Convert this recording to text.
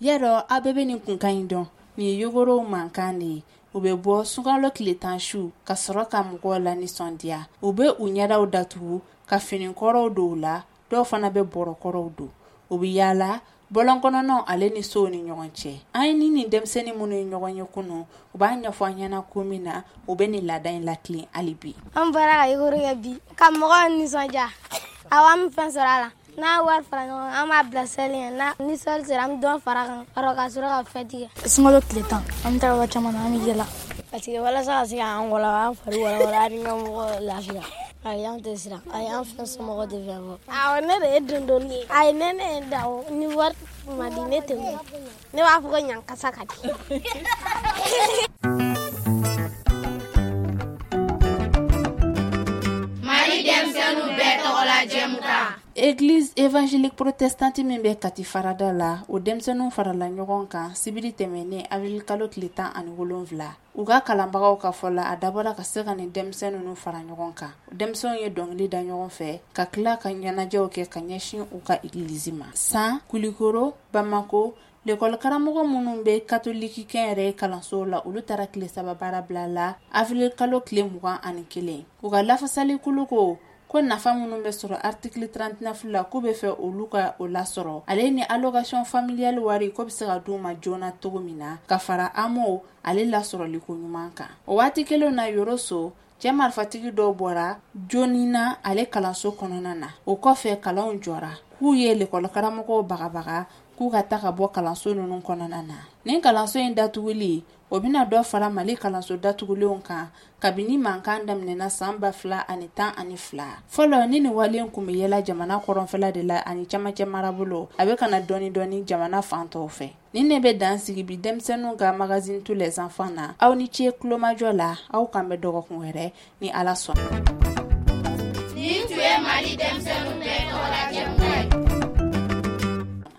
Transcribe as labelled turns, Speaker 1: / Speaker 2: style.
Speaker 1: Y'a aw bɛɛ bɛ nin kunkan in dɔn. Nin ye yogorow mankan de ye. U bɛ bɔ sunkalo tile 10 su ka sɔrɔ ka mɔgɔw lanisɔndiya. U bɛ u ɲɛdaw datugu ka finikɔrɔw don u la, dɔw fana bɛ bɔrɔkɔrɔw don. U bɛ yaala bɔlɔn kɔnɔnaw ale ni sow ni ɲɔgɔn cɛ. An ye ni nin denmisɛnnin minnu ye ɲɔgɔn ye kunun, u b'a ɲɛfɔ an ɲɛna ko min na u bɛ nin laada in latilen hali bi.
Speaker 2: An bɔra ka yogoro kɛ bi ka mɔgɔw nisɔndiya. Awɔ, an bɛ fɛn sɔrɔ a la. N'a wari fara ɲɔgɔn kan, an b'a bila seli ɲɛ. N'a ni seli sera, an bɛ dɔ fara a kan ka sɔrɔ ka fɛti kɛ.
Speaker 3: Sunkalo tile 10, an bɛ taa yɔrɔ caman na, an bɛ yala.
Speaker 4: Parce que walasa ka se k'an wala an fari walawala ani ka mɔgɔw lafiya. Ayi, an tɛ siran. Ayi, an fɛn somɔgɔw tɛ fɛn fɔ.
Speaker 2: Awɔ, ne de ye dondonni ye. Ayi, ne ne ye da o ni wari ma di ne tɛ wuli. Ne b'a fɔ ko ɲankasa ka di.
Speaker 5: Mali denmisɛnninw bɛɛ tɔgɔla jɛmukan.
Speaker 1: Église évangélique protestante min bɛ Kati farada la, o denmisɛnninw farala ɲɔgɔn kan sibiri tɛmɛnen avril kalo tile 17. U ka kalanbagaw ka fɔ la, a dabɔra ka se ka nin denmisɛn ninnu fara ɲɔgɔn kan. Denmisɛnw ye dɔnkili da ɲɔgɔn fɛ ka tila ka ɲɛnajɛw kɛ ka ɲɛsin u ka egilizi ma. San Kulikoro, Bamako, lekɔli karamɔgɔ minnu bɛ katoliki kɛnyɛrɛye kalansow la, olu taara tile 3 baara bila la avril kalo tile 21. U ka lafasalikulu ko ko nafa minnu bɛ sɔrɔ article 39 la, k'u bɛ fɛ olu ka o lasɔrɔ, ale ni allocation familiale wari ko bɛ se ka d'u ma joona cogo min na, ka fara AMO ale lasɔrɔliko ɲuman kan. O waati kelen na, Yoroso cɛ marifatigi dɔw bɔra Jonina ale kalanso kɔnɔna na. O kɔfɛ kalanw jɔra, k'u ye lekɔlikaramɔgɔw bagabaga k'u ka taa ka bɔ kalanso ninnu kɔnɔna na. Nin kalanso in datuguli, o bɛna dɔ fara Mali kalanso datugulenw kan kabini mankan daminɛna san 2012. Fɔlɔ ni nin wale kun bɛ yɛlɛ jamana kɔrɔnfɛla de la ani camancɛ marabolo, a bɛ ka na dɔɔni dɔɔni jamana fan tɔw fɛ. Nin ne bɛ dan sigi bi denmisɛnninw ka magazine tous les enfants na. Aw ni ce tulomajɔ la, aw kan bɛ dɔgɔkun wɛrɛ ni Ala sɔnna.